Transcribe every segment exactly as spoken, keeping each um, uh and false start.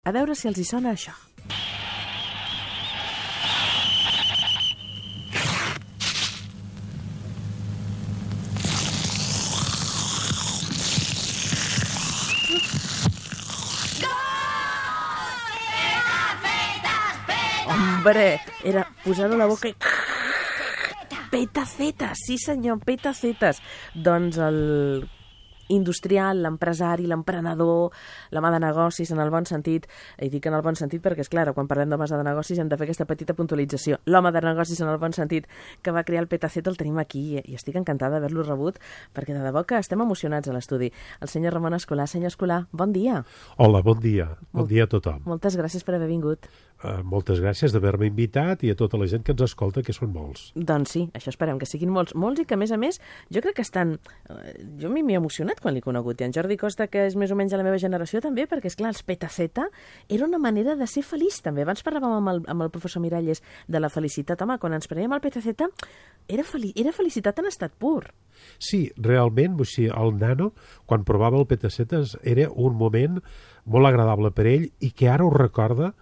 A veure si els hi sona això. Hombre, era posar-ho a la boca i... Petacetes, sí senyor, petacetes. Doncs el industrial, l'empresari, l'emprenedor, l'home de negocis en el bon sentit, i dic en el bon sentit perquè, és clar, quan parlem d'homes de negocis hem de fer aquesta petita puntualització. L'home de negocis en el bon sentit que va crear el Petaceta el tenim aquí i estic encantada d'haver-lo rebut perquè de debò que estem emocionats a l'estudi. El senyor Ramon Escolà. Senyor Escolà, bon dia. Hola, bon dia. Bon dia a tothom. Moltes gràcies per haver vingut. Uh, moltes gràcies d'haver-me invitat i a tota la gent que ens escolta, que són molts. Doncs sí, això esperem, que siguin molts, molts i que, a més a més, jo crec que estan... Jo m'he emocionat quan l'he conegut, i en Jordi Costa, que és més o menys de la meva generació, també, perquè, és clar, els Petaceta era una manera de ser feliç, també. Abans parlàvem amb el, amb el professor Miralles de la felicitat. Home, quan ens preníem el Petaceta, era, fel era felicitat en estat pur. Sí, realment, o sigui, el nano, quan provava el Petaceta, era un moment molt agradable per ell i que ara ho recorda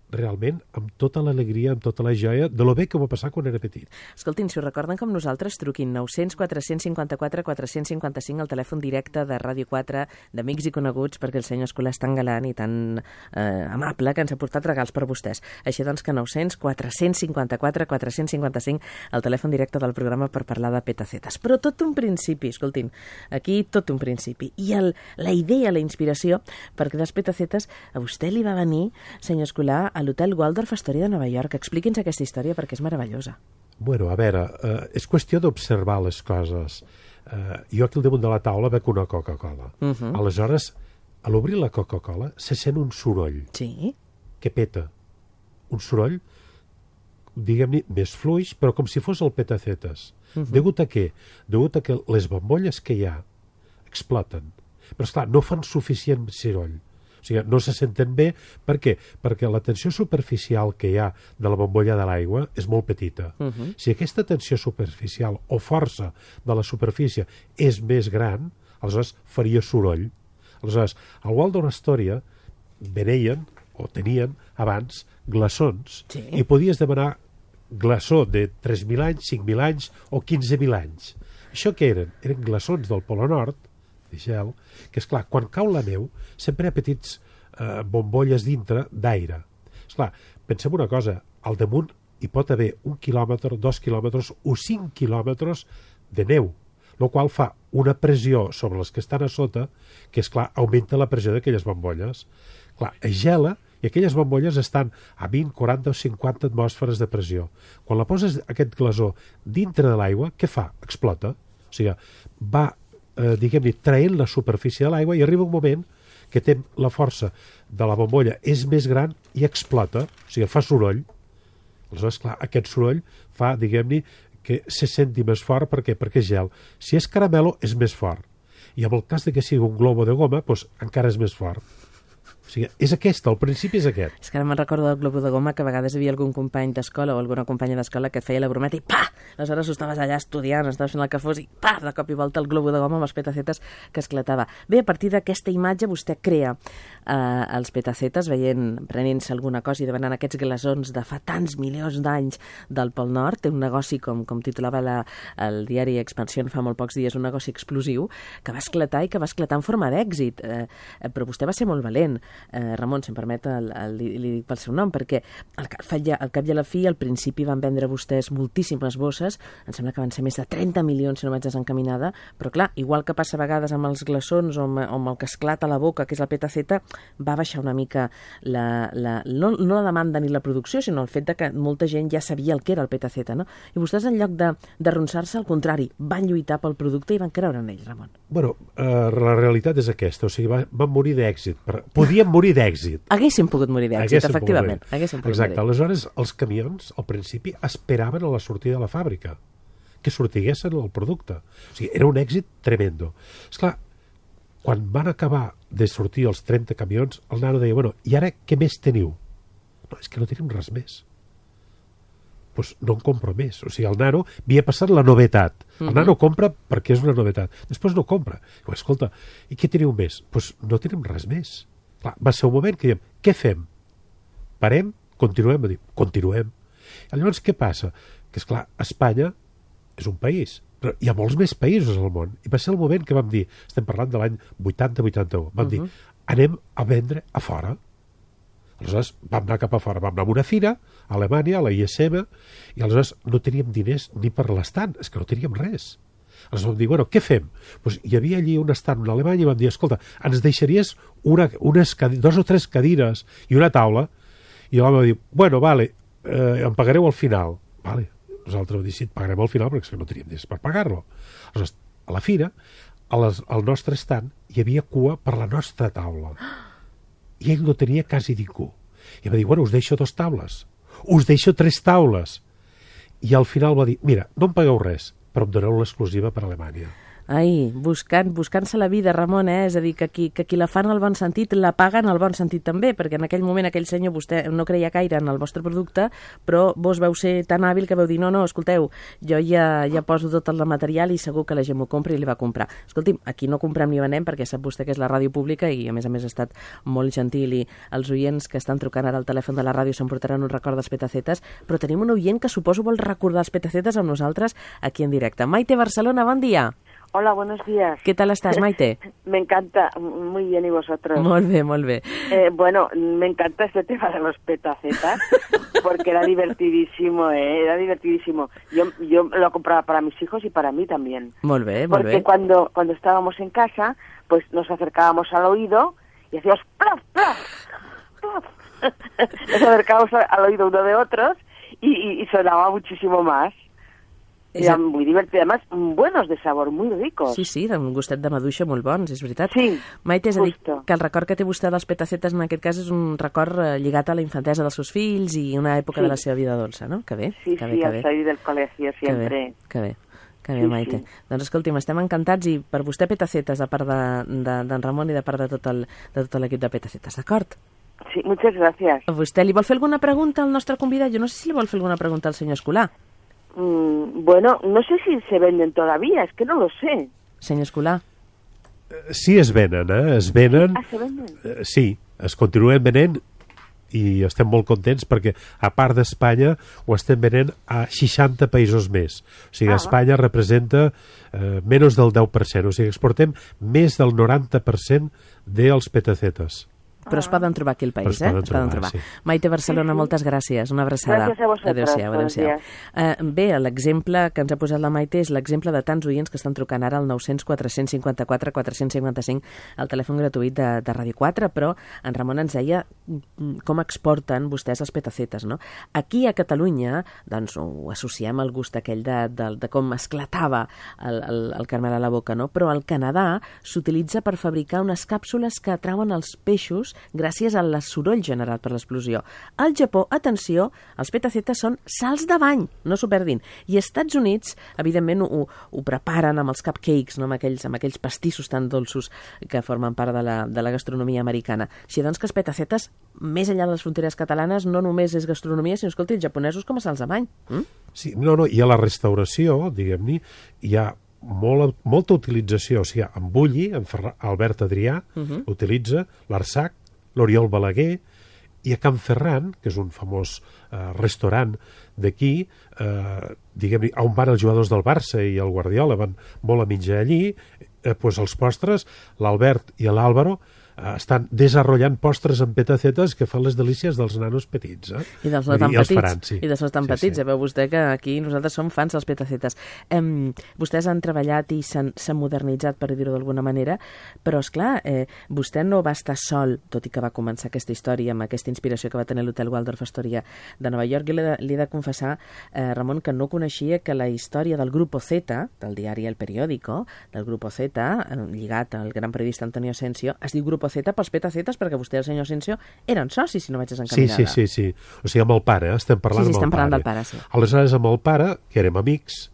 realment amb tota l'alegria, amb tota la joia de lo bé que ho va passar quan era petit. Escoltin, si ho recorden com nosaltres, truquin nou cents quatre cents cinquanta-quatre quatre cents cinquanta-cinc al telèfon directe de Ràdio quatre, d'Amics i Coneguts, perquè el senyor Escolà és tan galant i tan eh, amable que ens ha portat regals per vostès. Així doncs que nou cents quatre cents cinquanta-quatre quatre cents cinquanta-cinc al telèfon directe del programa per parlar de petacetes. Però tot un principi, escoltin, aquí tot un principi. I el, la idea, la inspiració, perquè les petacetes a vostè li va venir, senyor Escolà, a l'hotel Waldorf Astoria de Nova York. Expliqui'ns aquesta història perquè és meravellosa. Bueno, a veure, eh, és qüestió d'observar les coses. Eh, jo aquí al damunt de la taula veig una Coca-Cola. Uh -huh. Aleshores, a l'obrir la Coca-Cola se sent un soroll. Sí. Que peta. Un soroll, diguem-ne, més fluix, però com si fos el Petacetes. Uh -huh. Degut a què? Degut a que les bombolles que hi ha exploten. Però, esclar, no fan suficient soroll. O sigui, no se senten bé. Per què? Perquè la tensió superficial que hi ha de la bombolla de l'aigua és molt petita. Uh -huh. Si aquesta tensió superficial o força de la superfície és més gran, aleshores faria soroll. Aleshores, al Waldorf Astoria veneien, o tenien abans, glaçons, sí. I podies demanar glaçó de tres mil anys, cinc mil anys o quinze mil anys. Això què eren? Eren glaçons del Polo Nord, de gel, que, esclar, quan cau la neu sempre hi ha petits eh, bombolles dintre d'aire. Esclar, pensem una cosa, al damunt hi pot haver un quilòmetre, dos quilòmetres o cinc quilòmetres de neu, el qual fa una pressió sobre les que estan a sota que, esclar, augmenta la pressió d'aquelles bombolles. Clar, es gela i aquelles bombolles estan a vint, quaranta o cinquanta atmosferes de pressió. Quan la poses aquest glaçó dintre de l'aigua, què fa? Explota. O sigui, va Eh, diguem-ne, traient la superfície de l'aigua i arriba un moment que té la força de la bombolla és més gran i explota, o sigui, fa soroll. Aleshores, clar, aquest soroll fa, diguem-ne, que se senti més fort. Per què? Perquè és gel. Si és caramelo, és més fort. I en el cas de que sigui un globo de goma, doncs encara és més fort. O sigui, és aquest, el principi és aquest. És que ara me'n recordo del globo de goma que a vegades hi havia algun company d'escola o alguna companya d'escola que et feia la brometa i pa! Aleshores tu estaves allà estudiant, estaves fent el que fos i pa! De cop i volta el globo de goma amb els petacetes que esclatava. Bé, a partir d'aquesta imatge vostè crea eh, els petacetes veient, prenent-se alguna cosa i demanant aquests glaçons de fa tants milions d'anys del Pol Nord. Té un negoci, com, com titulava la, el diari Expansión fa molt pocs dies, un negoci explosiu que va esclatar i que va esclatar en forma d'èxit. Eh, però vostè va ser molt valent. Eh, Ramon, si em permet, el, el, li, li dic pel seu nom, perquè al cap, al cap i a la fi, al principi van vendre vostès moltíssimes bosses, em sembla que van ser més de trenta milions, si no vaig desencaminada, però clar, igual que passa a vegades amb els glaçons o amb, o amb el que esclata a la boca, que és el Petaceta, va baixar una mica la, la, no, no la demanda ni la producció, sinó el fet de que molta gent ja sabia el que era el Petaceta, no? I vostès, en lloc de, de ronçar-se, al contrari, van lluitar pel producte i van creure en ell, Ramon. Bueno, uh, la realitat és aquesta, o sigui, va, van morir d'èxit. Podien morir d'èxit. Haguéssim pogut morir d'èxit, efectivament. Haguéssim pogut Exacte, morir. Aleshores els camions al principi esperaven a la sortida de la fàbrica que sortiguessin el producte. O sigui, era un èxit tremendo. Esclar, quan van acabar de sortir els trenta camions, el nano deia, bueno, i ara què més teniu? No, és que no tenim res més. Doncs no en compro més. O sigui, el nano havia passat la novetat. El nano compra perquè és una novetat. Després no compra. Diu, escolta, i què teniu més? Doncs no tenim res més. Clar, va ser un moment que diem, què fem? Parem? Continuem? Va dir, continuem. I llavors què passa? Que, esclar, Espanya és un país, però hi ha molts més països al món. I va ser el moment que vam dir, estem parlant de l'any vuitanta vuitanta-u, vam uh -huh. dir, anem a vendre a fora. Aleshores vam anar cap a fora, vam anar a una fira, a Alemanya, a la I S M, i aleshores no teníem diners ni per l'estant, és que no teníem res. Aleshores vam dir, bueno, què fem? Pues hi havia allí un estant a Alemanya i vam dir, escolta, ens deixaries una, unes, dos o tres cadires i una taula? I l'home va dir, bueno, vale, eh, em pagareu al final. Vale. Nosaltres vam dir, sí, et pagarem al final perquè no teníem diners per pagar-lo. Aleshores, a la fira, a les, al nostre estant, hi havia cua per la nostra taula. I ell no tenia quasi ningú. I va dir, bueno, us deixo dos taules. Us deixo tres taules. I al final va dir, mira, no em pagueu res, però em doneu l'exclusiva per a Alemanya. Ai, buscant, buscant-se la vida, Ramon, eh? És a dir, que qui, que qui la fa en el bon sentit, la paga en el bon sentit també, perquè en aquell moment aquell senyor, vostè no creia gaire en el vostre producte, però vos veu ser tan hàbil que veu dir, no, no, escolteu, jo ja, ja poso tot el material i segur que la gent m'ho compra i li va comprar. Escolti'm, aquí no comprem ni venem perquè sap vostè que és la ràdio pública i a més a més ha estat molt gentil i els oients que estan trucant ara al telèfon de la ràdio s'emportaran un record dels petacetes, però tenim un oient que suposo vol recordar els petacetes amb nosaltres aquí en directe. Maite, Barcelona, bon dia. Hola, buenos días. ¿Qué tal estás, Maite? Me encanta, muy bien, ¿y vosotros? Muy bien, muy bien. Eh, bueno, me encanta este tema de los petacetas, porque era divertidísimo, ¿eh? Era divertidísimo. Yo, yo lo compraba para mis hijos y para mí también. Muy bien, muy porque bien. cuando, cuando estábamos en casa, pues nos acercábamos al oído y hacíamos plaf, plaf, plaf. Nos acercábamos al oído uno de otros y, y, y sonaba muchísimo más. Eren muy divertidos, además buenos de sabor, muy ricos. Sí, sí, un gustet de maduixa molt bons, és veritat. Sí, Maite, és a dir, justo. que el record que té vostè dels petacetes en aquest cas és un record eh, lligat a la infantesa dels seus fills i una època Sí. de la seva vida dolça, no? Que bé, Sí, que bé, sí, que al bé. salir del colegio Que siempre. bé, que bé. Que bé, Sí, Maite. sí. Doncs escolti'm, estem encantats i per vostè petacetes de part d'en de, de, Ramon i de part de tot el- de tot l'equip de petacetes, d'acord? Sí, muchas gracias. A vostè li vol fer alguna pregunta al nostre convidat? Jo no sé si li vol fer alguna pregunta al senyor Escolà. Mm, bueno, no sé si se venden todavía, es que no lo sé. Senyor Escolà. Sí, es venen, eh? Es venen... Ah, se venden. Eh, sí, es continuen venent i estem molt contents perquè, a part d'Espanya, ho estem venent a seixanta països més. O sigui, Ah. Espanya representa eh, menys del deu per cent. O sigui, exportem més del noranta per cent dels petacetes. Però es poden trobar aquí al Però país, es eh? poden Es poden trobar, trobar. sí. Maite Barcelona, Sí, sí. moltes gràcies. Una abraçada. Gràcies a vosaltres. Adéu-siau, Buenos adéu-siau. días. Uh, bé, l'exemple que ens ha posat la Maite és l'exemple de tants oients que estan trucant ara al nou cents quatre cents cinquanta-quatre quatre cents cinquanta-cinc al telèfon gratuït de, de Ràdio quatre, però en Ramon ens deia mm, com exporten vostès els petacetes, no? Aquí a Catalunya, doncs, ho associem al gust aquell de, de, de com esclatava el, el, el caramel a la boca, no? Però al Canadà s'utilitza per fabricar unes càpsules que atrauen els peixos gràcies al soroll generat per l'explosió. Al Japó, atenció, els petacetes són salts de bany, no s'ho perdin. I als Estats Units, evidentment, ho, ho preparen amb els cupcakes, no? amb, aquells, amb aquells pastissos tan dolços que formen part de la, de la gastronomia americana. Així doncs que els petacetes, més enllà de les fronteres catalanes, no només és gastronomia, sinó, escolti, els japonesos com a salts de bany. Mm? Sí, no, no, i a la restauració, diguem-ne, hi ha molt, molta utilització. O sigui, en Bulli, en Ferra, Albert Adrià, uh -huh. utilitza l'Arsac, l'Oriol Balaguer, i a Can Ferran, que és un famós eh, restaurant d'aquí, eh, diguem-ne, on van els jugadors del Barça i el Guardiola, van molt a menjar allí, eh, pues els postres, l'Albert i l'Àlvaro, eh, estan desenvolupant postres amb petacetes que fan les delícies dels nanos petits. Eh? I dels no tan I els petits. faran, sí. I dels no tan Sí, petits. sí. Ja veu vostè que aquí nosaltres som fans dels petacetes. Em, vostès han treballat i s'han s'han modernitzat, per dir-ho d'alguna manera, però, és clar, eh, vostè no va estar sol, tot i que va començar aquesta història amb aquesta inspiració que va tenir l'Hotel Waldorf Astoria de Nova York. I li he de, li he de confessar, eh, Ramon, que no coneixia que la història del Grupo Z, del diari El Periódico, del Grupo Z, eh, lligat al gran periodista Antonio Asensio, es diu Grupo Z pels petacetes perquè vostè i el senyor Asensio eren socis, si no vaig Sí, desencaminada. sí, sí, sí. O sigui, amb el pare, eh? estem parlant Sí, sí, amb el estem parlant pare. del pare, sí. Aleshores, amb el pare, que érem amics,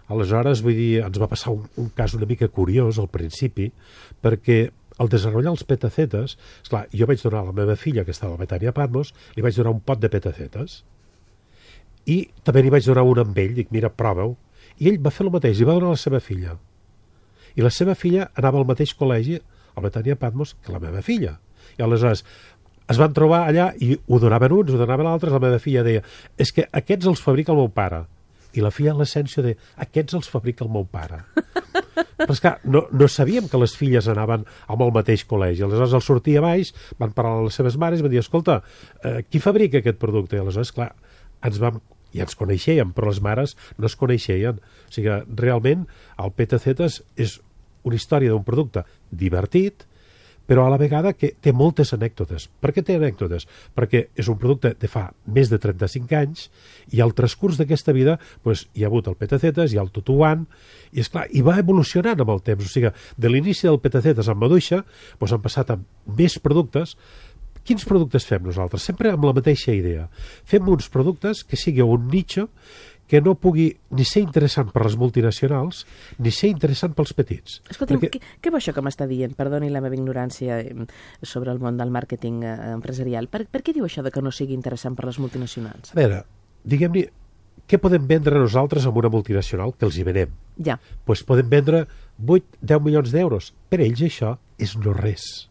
aleshores, vull dir, ens va passar un, un cas una mica curiós al principi, perquè al desenvolupar els petacetes, esclar, jo vaig donar a la meva filla, que estava a la Betania Patmos, li vaig donar un pot de petacetes, i també li vaig donar un amb ell, dic, mira, prova-ho, i ell va fer el mateix, i va donar a la seva filla. I la seva filla anava al mateix col·legi, a Betania Patmos, que la meva filla. I aleshores es van trobar allà i ho donaven uns, ho donaven altres. La meva filla deia, és que aquests els fabrica el meu pare. I la filla en l'essència deia, aquests els fabrica el meu pare. Però és que no, no sabíem que les filles anaven amb el mateix col·legi. Aleshores, al sortir a baix, van parlar a les seves mares i van dir, escolta, eh, qui fabrica aquest producte? I aleshores, clar, ens vam, ja ens coneixíem, però les mares no es coneixien. O sigui, realment, el Petacetas és una història d'un producte divertit, però a la vegada que té moltes anècdotes. Per què té anècdotes? Perquè és un producte de fa més de trenta-cinc anys i al transcurs d'aquesta vida doncs, hi ha hagut el Petacetas, hi ha el Tutuan, i és clar, i va evolucionant amb el temps. O sigui, de l'inici del Petacetas amb maduixa doncs han passat a més productes. Quins productes fem nosaltres? Sempre amb la mateixa idea. Fem uns productes que sigui un nicho que no pugui ni ser interessant per les multinacionals ni ser interessant pels petits. Escolta'm, perquè... què, què va això que m'està dient? Perdoni la meva ignorància sobre el món del màrqueting eh, empresarial. Per, per què diu això de que no sigui interessant per les multinacionals? A veure, diguem-ne, què podem vendre nosaltres amb una multinacional que els hi venem? Ja. Doncs podem vendre vuit a deu milions d'euros. Per ells això és no res.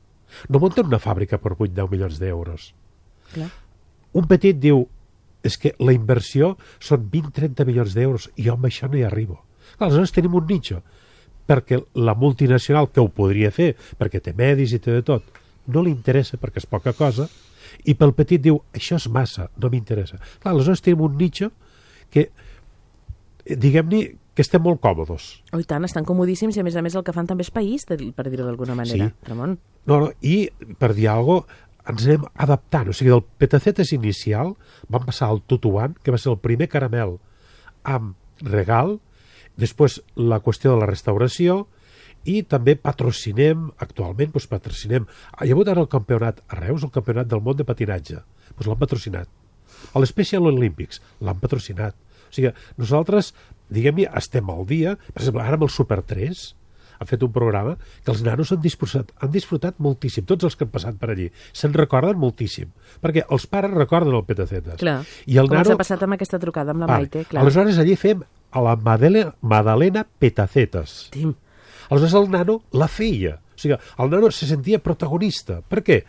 No munten una fàbrica per vuit a deu milions d'euros. Clar. Un petit diu, és que la inversió són vint a trenta milions d'euros i jo amb això no hi arribo. Clar, aleshores tenim un nicho, perquè la multinacional que ho podria fer, perquè té medis i té de tot, no li interessa perquè és poca cosa, i pel petit diu, això és massa, no m'interessa. Clar, aleshores tenim un nicho que, diguem-ne, que estem molt còmodes. Oh, i tant, estan comodíssims i a més a més el que fan també és país, per dir-ho d'alguna manera. Sí. Ramon. No, no, i per dir alguna cosa, ens anem adaptant. O sigui, del Petacetas inicial vam passar al Tutuan, que va ser el primer caramel amb regal, després la qüestió de la restauració, i també patrocinem, actualment doncs patrocinem, hi ha hagut ara el campionat a Reus, el campionat del món de patinatge, doncs l'han patrocinat. A l'Special Olympics l'han patrocinat. O sigui, nosaltres, diguem-ne, estem al dia, per exemple, ara amb el Super tres, han fet un programa que els nanos han disfrutat, han disfrutat moltíssim, tots els que han passat per allí. Se'n recorden moltíssim, perquè els pares recorden el Petacetas. Clar, I el com nano... ens ha passat amb aquesta trucada amb la vale. Maite. Clar. Aleshores allí fem a la Madalena, Madalena Petacetas. Tim. Aleshores el nano la feia. O sigui, el nano se sentia protagonista. Per què?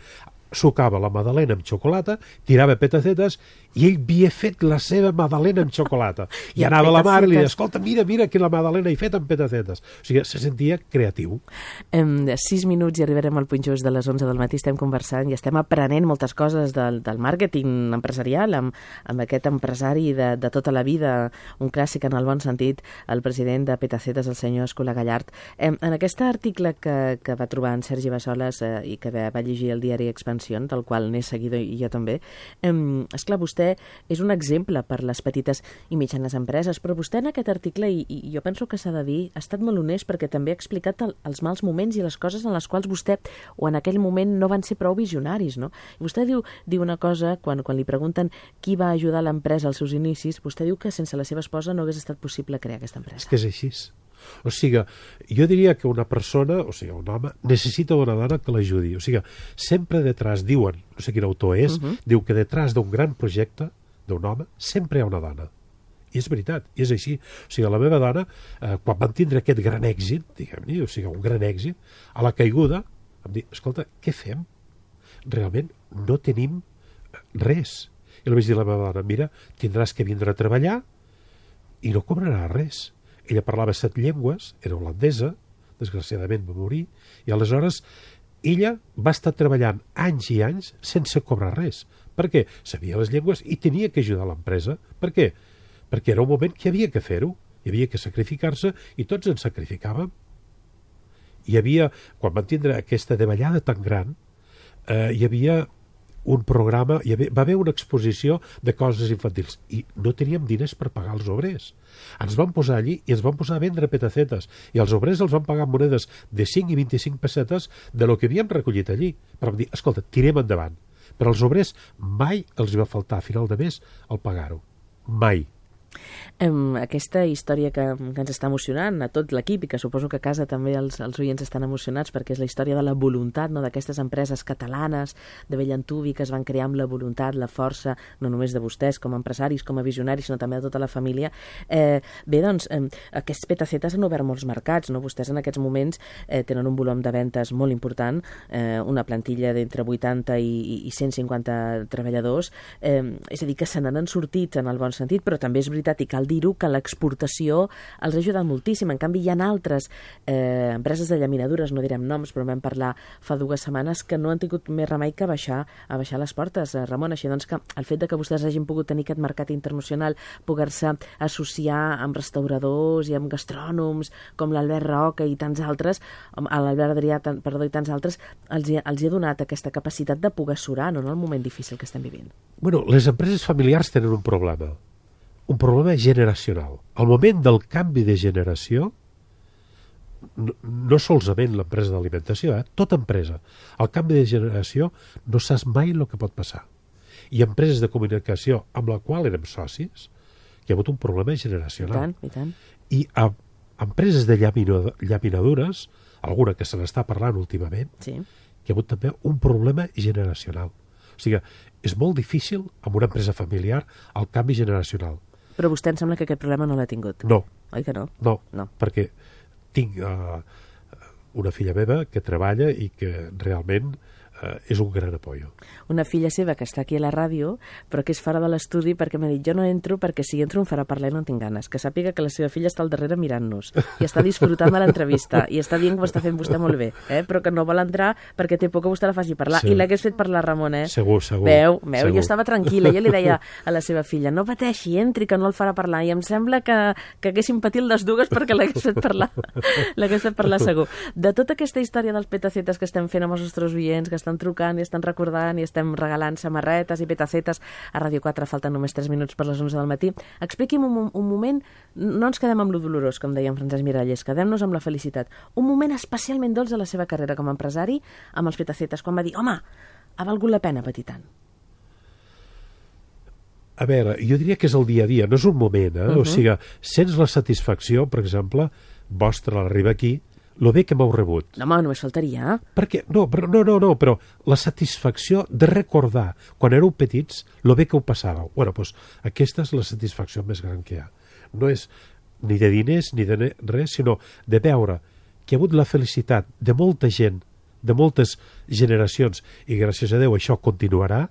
Sucava la magdalena amb xocolata, tirava Petacetas i ell havia fet la seva magdalena amb xocolata. I, I anava a la mare i li deia, escolta, mira, mira que la magdalena he fet amb Petacetas. O sigui, se sentia creatiu. En sis minuts i arribarem al punt just de les onze del matí, estem conversant i estem aprenent moltes coses del, del màrqueting empresarial amb, amb aquest empresari de, de tota la vida, un clàssic en el bon sentit, el president de Petacetas, el senyor Escola Gallart. En, en aquest article que, que va trobar en Sergi Bassoles eh, i que va, va llegir el diari Expansió, del qual n'he seguida i jo també, eh, esclar, vostè és un exemple per les petites i mitjanes empreses, però vostè en aquest article, i, i jo penso que s'ha de dir, ha estat molt honest perquè també ha explicat el, els mals moments i les coses en les quals vostè, o en aquell moment, no van ser prou visionaris, no? I vostè diu, diu una cosa, quan, quan li pregunten qui va ajudar l'empresa als seus inicis, vostè diu que sense la seva esposa no hagués estat possible crear aquesta empresa. És que és així. O sigui, jo diria que una persona, o sigui, un home, necessita una dona que l'ajudi. O sigui, sempre detrás, diuen, no sé quin autor és, uh -huh. diu que detrás d'un gran projecte, d'un home, sempre hi ha una dona. I és veritat, i és així. O sigui, la meva dona, eh, quan van tindre aquest gran èxit, diguem-ne, o sigui, un gran èxit, a la caiguda, em diu, escolta, què fem? Realment no tenim res. I li vaig dir a la meva dona, mira, tindràs que vindre a treballar i no cobraràs res. Ella parlava set llengües, era holandesa, desgraciadament va morir, i aleshores ella va estar treballant anys i anys sense cobrar res. Per què? Sabia les llengües i tenia que ajudar l'empresa. Per què? Perquè era un moment que hi havia que fer-ho, hi havia que sacrificar-se i tots ens sacrificàvem. Hi havia, quan van tindre aquesta davallada tan gran, eh, hi havia un programa, hi havia, va haver una exposició de coses infantils i no teníem diners per pagar els obrers. Ens vam posar allí i ens vam posar a vendre Petacetas i els obrers els van pagar monedes de cinc i vint-i-cinc pessetes de lo que havíem recollit allí. Però vam dir, escolta, tirem endavant. Però als obrers mai els va faltar a final de mes el pagar-ho. Mai. Um, aquesta història que, que ens està emocionant a tot l'equip i que suposo que a casa també els, els oients estan emocionats perquè és la història de la voluntat, no?, d'aquestes empreses catalanes de bell antuvi que es van crear amb la voluntat, la força, no només de vostès com a empresaris, com a visionaris, sinó també de tota la família. Eh, bé, doncs, eh, aquests petacetes han obert molts mercats, no? Vostès en aquests moments eh, tenen un volum de ventes molt important, eh, una plantilla d'entre vuitanta i, i cent cinquanta treballadors, eh, és a dir, que se n'han sortit en el bon sentit, però també és veritat, i cal dir-ho, que l'exportació els ha ajudat moltíssim. En canvi, hi ha altres eh, empreses de llaminadures, no direm noms, però vam parlar fa dues setmanes, que no han tingut més remei que baixar, a baixar les portes, eh, Ramon. Així doncs que el fet de que vostès hagin pogut tenir aquest mercat internacional, poder-se associar amb restauradors i amb gastrònoms, com l'Albert Roca i tants altres, l'Albert Adrià, perdó, i tants altres, els hi, els hi ha donat aquesta capacitat de poder surar, no?, en el moment difícil que estem vivint. Bueno, les empreses familiars tenen un problema. Un problema generacional. Al moment del canvi de generació, no, no solament l'empresa d'alimentació, eh? Tota empresa. Al canvi de generació no saps mai el que pot passar. I empreses de comunicació amb la qual érem socis, hi ha hagut un problema generacional. I tant, i tant. I a empreses de llaminadures, alguna que se n'està parlant últimament, sí, hi ha hagut també un problema generacional. O sigui, és molt difícil amb una empresa familiar el canvi generacional. Però vostè em sembla que aquest problema no l'ha tingut. No. Oi que no? No, no. perquè tinc uh, una filla meva que treballa i que realment uh, és un gran apoyo. Una filla seva que està aquí a la ràdio, però que és fora de l'estudi perquè m'ha dit, jo no entro perquè si entro em farà parlar i no en tinc ganes. Que sàpiga que la seva filla està al darrere mirant-nos i està disfrutant de l'entrevista i està dient que ho està fent vostè molt bé, eh? Però que no vol entrar perquè té por que vostè la faci parlar. Sí. I l'hagués fet parlar, Ramon, eh? Segur, segur. Veu, veu, segur. Jo estava tranquil·la, jo li deia a la seva filla, no pateixi, entri, que no el farà parlar. I em sembla que, que haguéssim patit les dues perquè l'hagués fet parlar. L'hagués fet parlar segur. De tota aquesta història dels petacetes que estem fent amb els nostres oients, que estan trucant i estan recordant i estem regalant samarretes i petacetes a Ràdio quatre, falten només tres minuts per les onze del matí. Expliqui'm un, un moment, no ens quedem amb lo dolorós, com deia en Francesc Miralles, quedem-nos amb la felicitat. Un moment especialment dolç de la seva carrera com a empresari amb els petacetes, quan va dir, home, ha valgut la pena patir tant. A veure, jo diria que és el dia a dia, no és un moment, eh? Uh-huh. O sigui, sents la satisfacció, per exemple, vostra a l'arribar aquí, lo bé que m'heu rebut. No, home, només faltaria. Perquè, no, però, no, no, no, però la satisfacció de recordar, quan éreu petits, lo bé que ho passàveu. Bueno, doncs aquesta és la satisfacció més gran que hi ha. No és ni de diners ni de res, sinó de veure que hi ha hagut la felicitat de molta gent, de moltes generacions, i gràcies a Déu això continuarà,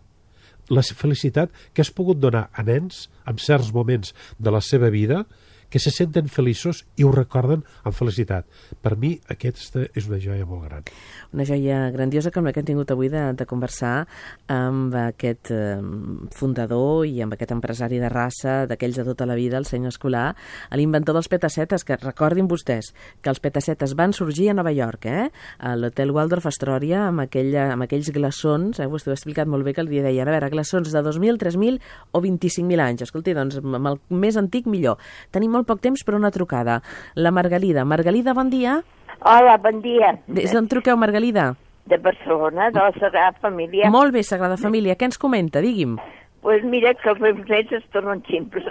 la felicitat que has pogut donar a nens en certs moments de la seva vida que se senten feliços i ho recorden amb felicitat. Per mi aquesta és una joia molt gran. Una joia grandiosa com la que hem tingut avui de, de conversar amb aquest eh, fundador i amb aquest empresari de raça, d'aquells de tota la vida, el senyor Escolà, l'inventor dels petacetes, que recordin vostès que els petacetes van sorgir a Nova York, eh? A l'hotel Waldorf Astoria, amb, aquella, amb aquells glaçons, eh? Vostè ho ha explicat molt bé, que el dia deien, a veure, glaçons de dos mil, tres mil o vint-i-cinc mil anys. Escolti, doncs, amb el més antic millor. Tenim molt poc temps per una trucada. La Margalida. Margalida, bon dia. Hola, bon dia. Des d'on truqueu, Margalida? De Barcelona, de la Sagrada Família. Molt bé, Sagrada Família. Què ens comenta? Digui'm. Doncs pues mira que els meus nets es tornen ximples.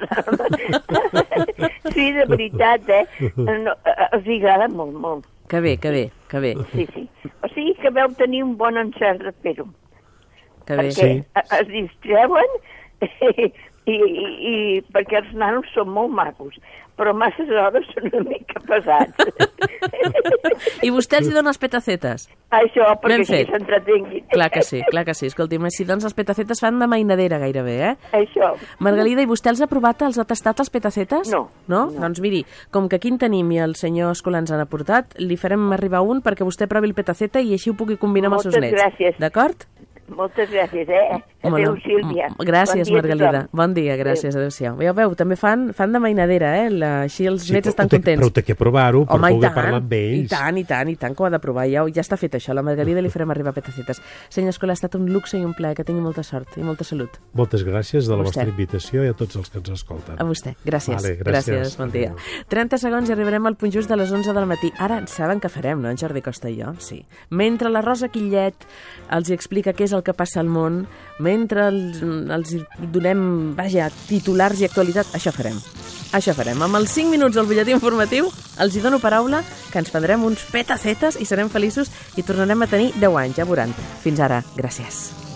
Sí, de veritat, eh? No, els agrada molt, molt. Que bé, que bé, que bé. Sí, sí. O sigui que veu tenir un bon encert de fer-ho. Que bé. Perquè sí. es distreuen i, i, i perquè els nanos són molt macos, però masses hores són una mica pesats. I vostè els hi dona els petacetes? Això, perquè així s'entretinguin. Clar que sí, clar que sí. Escolti'm, si doncs els petacetes fan de mainadera gairebé, eh? Això. Margalida, i vostè els ha provat, els ha tastat els petacetes? No. No? no. Doncs miri, com que aquí en tenim i el senyor Escolà ens han aportat, li farem arribar un perquè vostè provi el petaceta i així ho pugui combinar amb els seus nets. Moltes gràcies. D'acord? Moltes gràcies, eh? Adéu, Sílvia. Gràcies, bon Margalida. Bon dia, gràcies, adéu-siau. Ja veu, també fan, fan de mainadera, eh? La, així els sí, nets estan te, contents. Però té que provar-ho per Home, poder parlar amb ells. I tant, i tant, i tant, que ho ha de provar. Ja, ja està fet això. A la Margalida li farem arribar petacetes. Senyor Escolà, ha estat un luxe i un plaer. Que tingui molta sort i molta salut. Moltes gràcies de la vostra invitació i a tots els que ens escolten. A vostè. Gràcies. Vale, gràcies. gràcies. Bon dia. trenta segons i arribarem al punt just de les onze del matí. Ara saben què farem, no, en Jordi Costa i jo? Sí. Mentre la Rosa Quillet els hi explica què és el que passa al món, mentre mentre els, els donem, vaja, titulars i actualitat, això farem. Això farem. Amb els cinc minuts del butlletí informatiu els hi dono paraula que ens prendrem uns petacetes i serem feliços i tornarem a tenir deu anys, ja veuran. Fins ara. Gràcies.